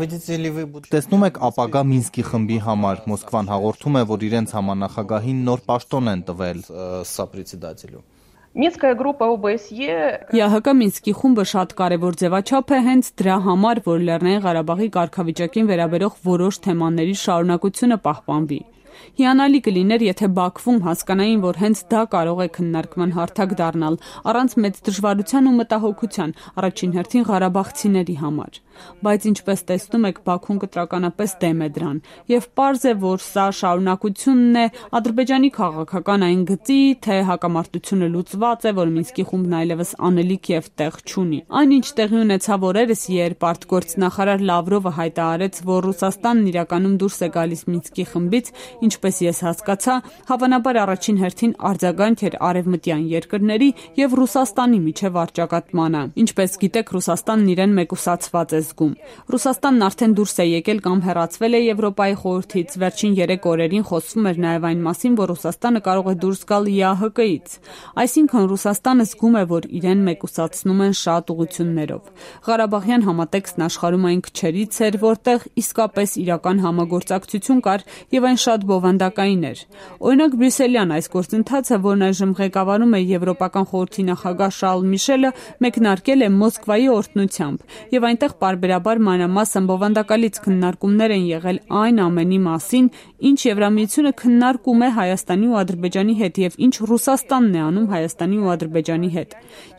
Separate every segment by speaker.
Speaker 1: Տեսնում եք ապագա Մինսկի խմբի համար, Մոսկվան հաղորդում է, որ իրենց համանախագահին նոր պաշտոն են տվել։
Speaker 2: Մինսկая группа ՕԲՍԵ
Speaker 3: ԵԱՀԿ Մինսկի խումբը շատ կարևոր ձևաչափ է հենց դրա համար, որ Լեռնային Ղարաբաղի կարգավիճակին վերաբերող որոշ թեմաների շարունակությունը պահպանվի։ Հիանալի կլիներ, եթե Բաքվում հասկանային, որ հենց դա կարող է քննարկման հարթակ դառնալ, առանց մեծ դժվարության ու մտահոգության, առաջին հերթին ղարաբաղցիների համար։ Բայց ինչպես տեսնում եք, Բաքուն կտրականապես դեմ է դրան, եւ պարզ է, որ սա շարունակությունն է Ադրբեջանի քաղաքական այն գծի, թե հակամարտությունը լուծված է, որ Մինսկի խումբն այլևս անելիք եւ տեղ չունի։ Այնինչ տեղի ունեցավ օրերս, երբ արտգործնախարար Լավրովը հայտարարեց, որ Ռուսաստանն իրականում դուրս է գալիս Մինսկի խմբից, ինչպես ես հասկացա, հավանաբար առաջին հերթին արձագանք էր արևմտյան երկրների եւ Ռուսաստանի միջև առճակատմանը։ Ինչպես գիտեք, Ռուսաստանն իրեն մեկուսացված է զգում։ Ռուսաստանն արդեն դուրս է եկել կամ հեռացվել է Եվրոպայի խորհրդից։ Վերջին 3 օրերին խոսվում էր նաեւ այն մասին, որ Ռուսաստանը կարող է դուրս գալ ԵԱՀԿ-ից։ Այսինքն Ռուսաստանը զգում է, որ իրեն մեկուսացնում են շատ ուղղություններով։ Ղարաբաղյան համատեքստն աշխարհում այն քչերից էր, որտեղ իսկապես իրական համագործակցություն կար եւ այն շատ բովանդակային էր։ Օրինակ Բրյուսելյան այս գործընթացը, որն այժմ ղեկավարում է Եվրոպական խորհրդի նախագահ Շարլ Միշելը, մեկնարկել է Մոսկվայի օրհնությամբ եւ այնտեղ պարբերաբար մանրամասն բովանդակալից քննարկումներ են եղել այն ամենի մասին, ինչ Եվրամիությունը քննարկում է Հայաստանի ու Ադրբեջանի հետ եւ ինչ Ռուսաստանն է անում Հայաստանի ու Ադրբեջանի հետ։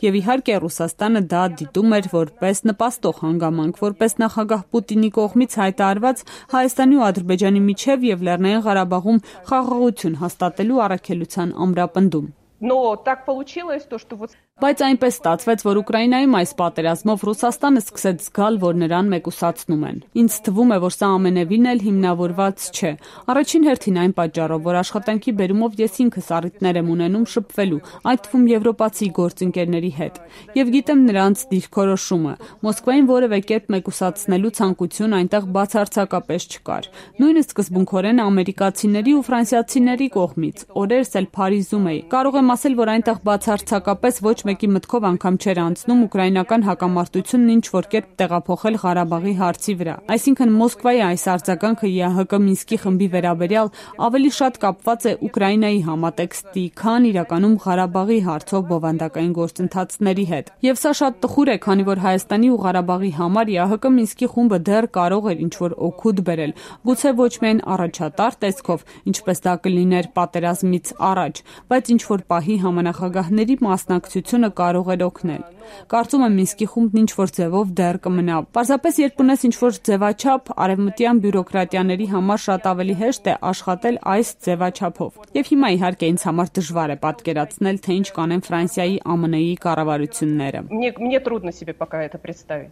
Speaker 3: Եվ իհարկե Ռուսաստանը դա դիտում էր որպես նպաստող հանգամանք, որպես նախագահ Պուտինի կողմից հայտարարված Հայաստանի ու Ադրբեջանի միջև եւ Լեռնային Ղարաբաղում խաղաղություն հաստատելու առաքելության ամրապնդում։
Speaker 2: Но так получилось, что вот
Speaker 3: Բայց այնպես ստացվեց, որ Ուկրաինայում այս պատերազմով Ռուսաստանը սկսեց զգալ, որ նրան մեկուսացնում են։ Ինձ թվում է, որ սա ամենևին էլ հիմնավորված չէ։ Առաջին հերթին այն պատճառով, որ աշխատանքի բերումով ես ինքս առիթներ եմ ունենում շփվելու, այդ թվում եվրոպացի գործընկերների հետ։ Եվ գիտեմ նրանց դիրքորոշումը։ Մոսկվային որևէ կերպ մեկուսացնելու ցանկություն այնտեղ բացարձակապես չկար։ Նույնիսկ սկզբունքորեն ամերիկացիների ու ֆրանսիացիների կողմից։ Օրերս էլ Փարիզում էի։ Կարող եմ ասել, որ այնտեղ բացարձակապես ոչ մեկի մտքով անգամ չէր անցնում ուկրաինական հակամարտությունն ինչ-որ կերպ տեղափոխել Ղարաբաղի հարցի վրա։ Այսինքն Մոսկվայի այս արձագանքը ԵԱՀԿ Մինսկի խմբի վերաբերյալ ավելի շատ կապված է Ուկրաինայի համատեքստի, քան իրականում Ղարաբաղի հարցով բովանդակային գործընթացների հետ։ Եվ սա շատ տխուր է, քանի որ Հայաստանի ու Ղարաբաղի համար ԵԱՀԿ Մինսկի խումբը դեռ կարող էր ինչ-որ օգուտ բերել, գուցե ոչ միայն առաջատար տեսքով, ինչպես դա կլիներ պատերազմից առաջ, բայց ինչ-որ պահի համանախագահների մասնակցությունը կարող էր օգնել։ Կարծում եմ Մինսկի խումբն ինչ-որ ձևով դեռ կմնա։ Պարզապես երբ ունես ինչ-որ ձևաչափ, արևմտյան բյուրոկրատիաների համար շատ ավելի հեշտ է աշխատել այս ձևաչափով։ Եվ հիմա իհարկե ինձ համար դժվար է պատկերացնել, թե ինչ կանեն Ֆրանսիայի, ԱՄՆ-ի կառավարությունները։
Speaker 2: Мне трудно себе пока это представить.